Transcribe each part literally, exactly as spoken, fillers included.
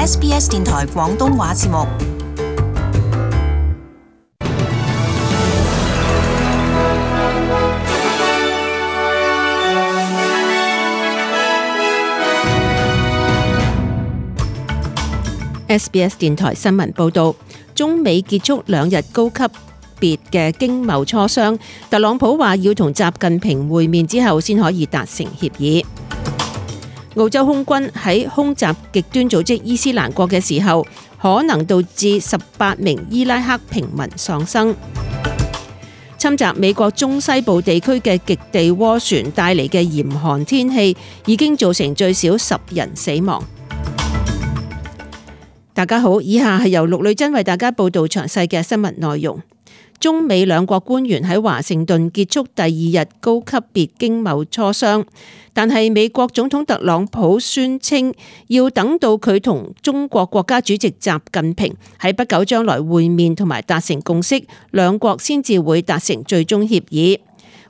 S B S 電台廣東話節目。S B S 電台新聞報道，中美結束兩日高級別嘅經貿磋商，特朗普話要同習近平會面之後先可以達成協議。澳洲空軍喺空襲極端組織伊斯蘭國嘅時候，可能導致十八名伊拉克平民喪生。侵襲美國中西部地區嘅極地渦旋帶嚟嘅嚴寒天氣，已經造成最少十人死亡。大家好，以下係由陸女珍為大家報道詳細嘅新聞內容。中美兩國官員喺華盛頓結束第二日高級別經貿磋商，但係美國總統特朗普宣稱要等到佢同中國國家主席習近平喺不久將來會面同埋達成共識，兩國先至會達成最終協議。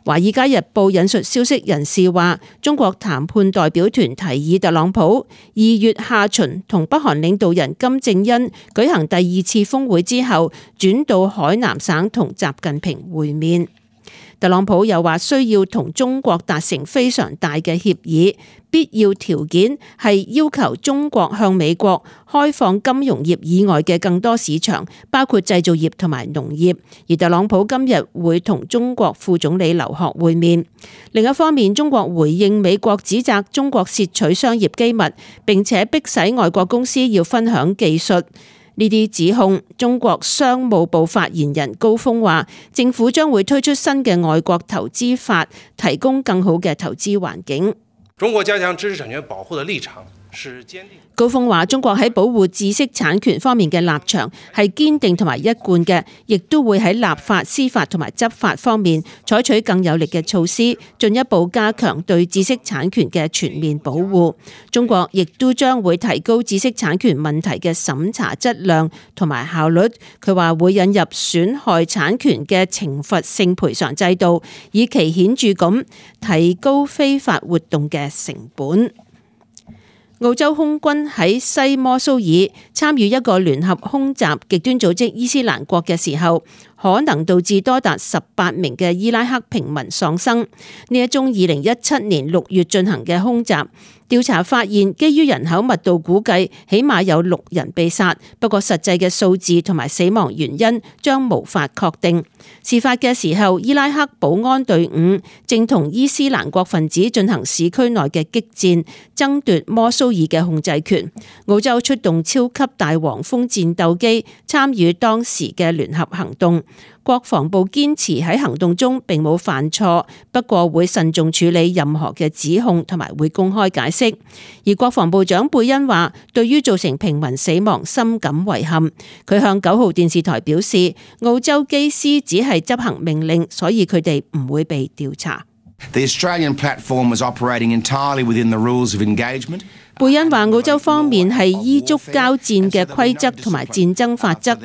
《華爾街日報》引述消息人士話，中國談判代表團提議特朗普二月下旬同北韓領導人金正恩舉行第二次峰會之後，轉到海南省同習近平會面。特朗普又話需要同中國達成非常大嘅協議，必要條件係要求中國向美國開放金融業以外嘅更多市場，包括製造業同埋農業。而特朗普今日會同中國副總理劉鶴會面。另一方面，中國回應美國指責中國竊取商業機密，並且迫使外國公司要分享技術。呢啲指控，中國商務部發言人高峰話，政府將會推出新嘅外國投資法，提供更好嘅投資環境。中國加強知識產權保護的立場是堅定。高峰話，中國喺保護知識產權方面嘅立場係堅定同埋一貫嘅，亦都會喺立法、司法同埋執法方面採取更有力嘅措施，進一步加強對知識產權嘅全面保護。中國亦都將會提高知識產權問題嘅審查質量同埋效率。佢話會引入損害產權嘅懲罰性賠償制度，以期顯著咁提高非法活動嘅成本。澳洲空軍喺西摩蘇爾參與一個聯合空襲極端組織伊斯蘭國嘅時候，可能導致多達十八名嘅伊拉克平民喪生。呢一宗二零一七年六月進行嘅空襲，調查發現，基於人口密度估計，起碼有六人被殺，不過實際嘅數字同埋死亡原因將無法確定。事發嘅時候，伊拉克保安隊伍正同伊斯蘭國分子進行市區內嘅激戰，爭奪摩蘇爾嘅控制權。澳洲出動超級大黃蜂戰鬥機參與當時嘅聯合行動。國防部堅持喺行動中並冇犯錯，不過會慎重處理任何嘅指控同埋會公開解釋。而國防部長貝恩話，對於造成平民死亡深感遺憾。佢向九號電視台表示，澳洲機師只係執行命令，所以佢哋唔會被調查。The Australian platform was operating entirely within the rules of engagement. 貝恩話，澳洲方面係依足交戰嘅規則同埋戰爭法則，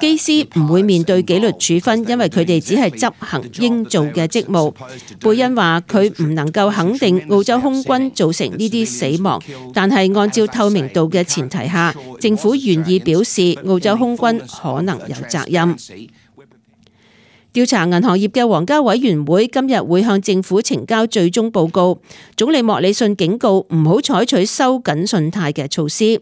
機師唔會面對紀律處分，因為佢哋只係執行應做嘅職務。貝恩話，佢唔能夠肯定澳洲空軍造成呢啲死亡，但係按照透明度嘅前提下，政府願意表示澳洲空軍可能有責任。調查銀行業嘅皇家委員會今日會向政府呈交最終報告。總理莫里遜警告唔好採取收緊信貸嘅措施。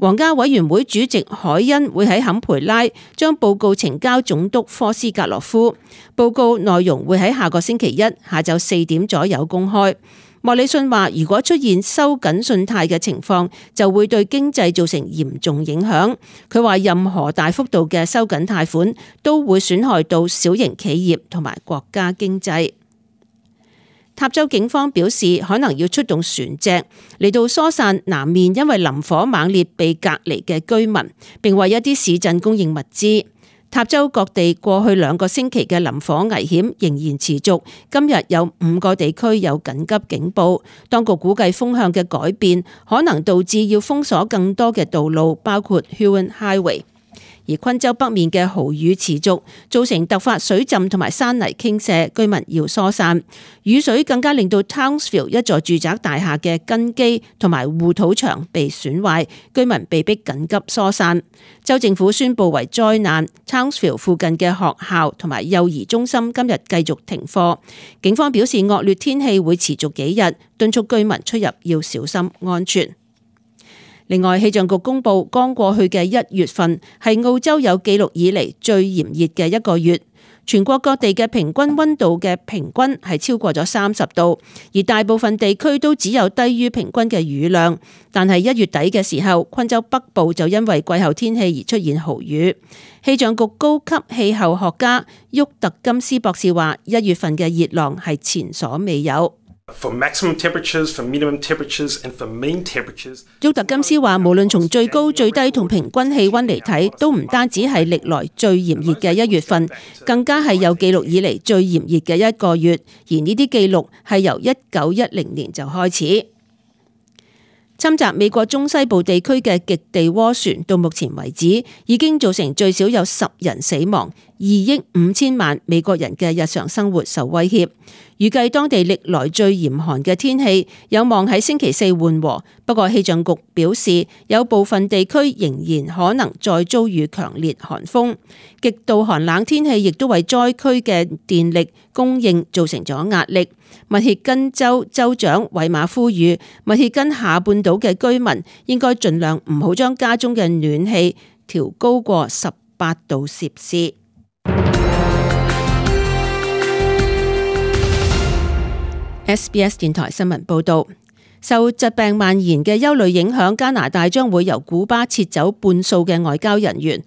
皇家委員會主席海恩會喺坎培拉將報告呈交總督科斯格洛夫。報告內容會喺下個星期一下晝四點左右公開。莫里遜話，如果出現收緊信貸嘅情況，就會對經濟造成嚴重影響。佢話任何大幅度嘅收緊貸款都會損害到小型企業同埋國家經濟。塔州警方表示，可能要出動船隻嚟到疏散南面因為林火猛烈被隔離嘅居民，並為一啲市鎮供應物資。塔州各地過去兩個星期嘅林火危險仍然持續，今日有五個地區有緊急警報。當局估計風向嘅改變可能導致要封鎖更多嘅道路，包括 Huon Highway。而昆州北面嘅豪雨持續，造成突發水浸同埋山泥傾瀉，居民要疏散。雨水更加令到 Townsville 一座住宅大廈嘅根基同埋護土牆被損壞，居民被迫緊急疏散。州政府宣布為災難 ，Townsville 附近嘅學校同埋幼兒中心今日繼續停課。警方表示惡劣天氣會持續幾日，敦促居民出入要小心安全。另外，氣象局公布，剛過去嘅一月份係澳洲有記錄以嚟最炎熱嘅一個月，全國各地嘅平均溫度嘅平均係超過咗三十度，而大部分地區都只有低於平均嘅雨量。但係一月底嘅時候，昆州北部就因為季候天氣而出現豪雨。氣象局高級氣候學家沃特金斯博士話，一月份嘅熱浪係前所未有。For maximum temperatures, for minimum temperatures, and for mean temperatures. 沃特金斯話，無論從最高、最低同平均氣溫嚟睇，都唔單止係歷來最炎熱嘅一月份，更加係有記錄以嚟最炎熱嘅一個月。而呢啲記錄係由一九一零年就開始。侵襲美國中西部地區嘅極地渦旋，到目前為止已經造成最少有十人死亡，二億五千萬美國人嘅日常生活受威脅。預計當地歷來最嚴寒嘅天氣有望喺星期四緩和，不過氣象局表示有部分地區仍然可能再遭遇強烈寒風。極度寒冷天氣亦都為災區嘅電力供應造成咗壓力。密歇根州州長韋馬呼籲密歇根下半島嘅居民應該盡量唔好將家中嘅暖氣調高過十八度攝氏。S B S 電台新聞報道，受疾病蔓延嘅憂慮影響，加拿大將會由古巴撤走半數嘅外交人員。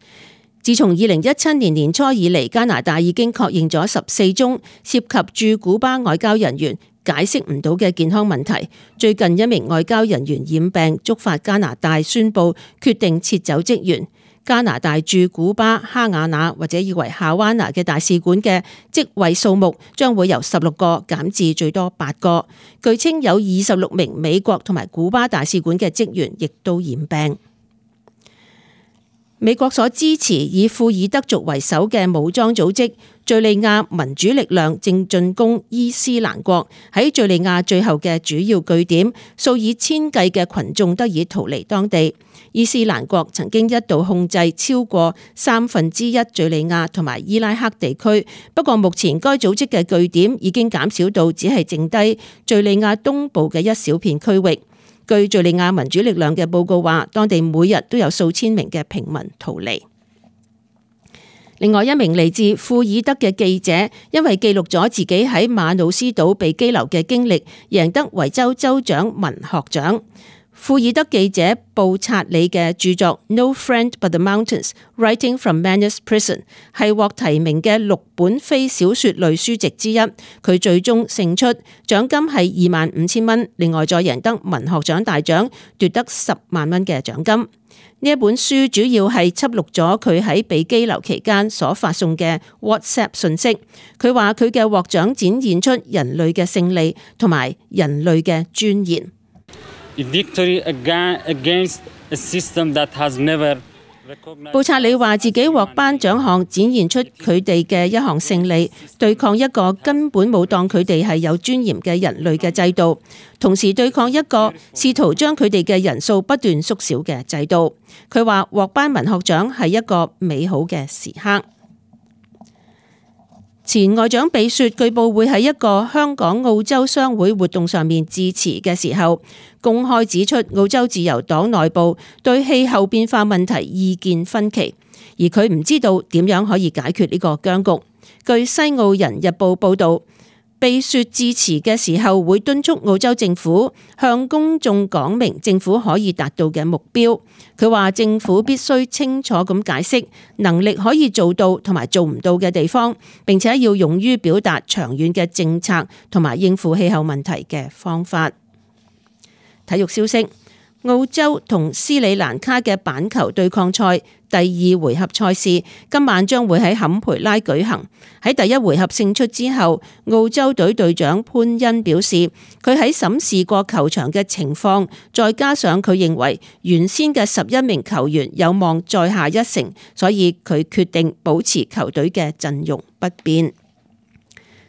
自從二零一七年年初以嚟，加拿大已經確認咗十四宗涉及駐古巴外交人員解釋唔到嘅健康問題。最近一名外交人員染病，觸發加拿大宣布決定撤走職員。加拿大駐古巴哈瓦那或者以為夏灣拿嘅大使館嘅職位數目將會由十六個減至最多八個。據稱有二十六名美國同埋古巴大使館嘅職員亦都染病。美國所支持以庫爾德族為首嘅武裝組織敘利亞民主力量正進攻伊斯蘭國，喺敘利亞最後嘅主要據點，數以千計嘅群眾得以逃離當地。伊斯蘭國曾經一度控制超過三分之一敘利亞同埋伊拉克地區，不過目前該組織嘅據點已經減少到只係剩低敘利亞東部嘅一小片區域。據敘利亞民主力量嘅報告話，當地每日都有數千名嘅平民逃離。另外一名嚟自庫爾德嘅記者，因為記錄咗自己喺馬努斯島被羈留嘅經歷，贏得維州州長文學獎。庫爾德記者布察里嘅著作《No Friend But the Mountains: Writing from Manus Prison》係獲提名嘅六本非小說類書籍之一，佢最終勝出，獎金係二萬五千蚊，另外再贏得文學獎大獎，奪得十萬蚊嘅獎金。呢一本書主要係輯錄咗佢喺被羈留期間所發送嘅 WhatsApp 信息。佢話佢嘅獲獎展現出人類嘅勝利同埋人類嘅尊嚴。布察里話自己獲頒獎項，展現出佢哋嘅一項勝利，對抗一個根本冇當佢哋係有尊嚴嘅人類嘅制度，同時對抗一個試圖將佢哋嘅人數不斷縮小嘅制度。佢話獲頒文學獎係一個美好嘅時刻。前外長比雪據報會喺一個香港澳洲商會活動上面致辭嘅時候，公開指出澳洲自由黨內部對氣候變化問題意見分歧，而佢唔知道點樣可以解決呢個僵局。據西澳人日報報道，比雪致辭嘅時候會敦促澳洲政府向公眾講明政府可以達到嘅目標。佢話政府必須清楚咁解釋能力可以做到同埋做唔到嘅地方，並且要勇於表達長遠嘅政策同埋應付氣候問題嘅方法。體育消息。澳洲同斯里蘭卡嘅板球對抗賽第二回合賽事今晚將會喺坎培拉舉行。喺第一回合勝出之後，澳洲隊隊長潘恩表示，佢喺審視過球場嘅情況，再加上佢認為原先嘅十一名球員有望再下一城，所以佢決定保持球隊嘅陣容不變。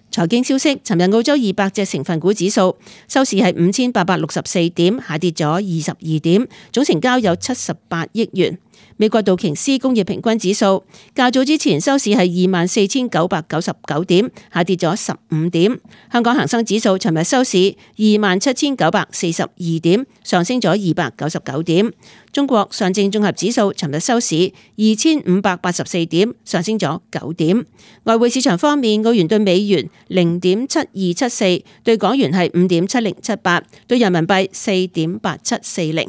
財經消息，尋日澳洲二百隻成分股指數收市係五千八百六十四點，下跌咗二十二點，總成交有七十八億元。美國道瓊斯工業平均指數較早之前收市係二萬四千九百九十九點，下跌咗十五點。香港恒生指數尋日收市二萬七千九百四十二點，上升咗二百九十九點。中國上證綜合指數尋日收市二千五百八十四點，上升咗九點。外匯市場方面，澳元對美元零點七二七四，對港元係五點七零七八，對人民幣四點八七四零。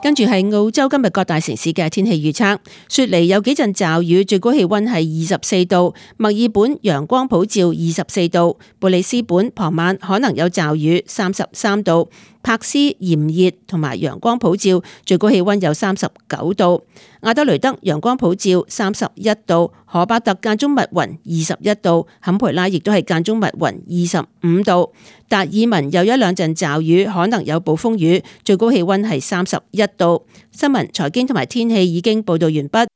跟住係澳洲今日各大城市嘅天氣預測，雪梨有幾陣驟雨，最高氣溫係二十四度；墨爾本陽光普照，二十四度；布里斯本傍晚可能有驟雨，三十三度；柏斯炎熱同埋陽光普照，最高氣溫有三十九度；阿德雷德陽光普照，三十一度；荷伯特間中密雲，二十一度；坎培拉亦都係間中密雲，二十五度；達爾文有一兩陣驟雨，可能有暴風雨，最高氣溫係三十一度。新聞、財經同埋天氣已經報道完畢。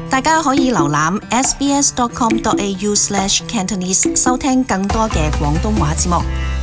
大家可以瀏覽 s b s dot com dot a u slash cantonese 收聽更多嘅廣東話節目。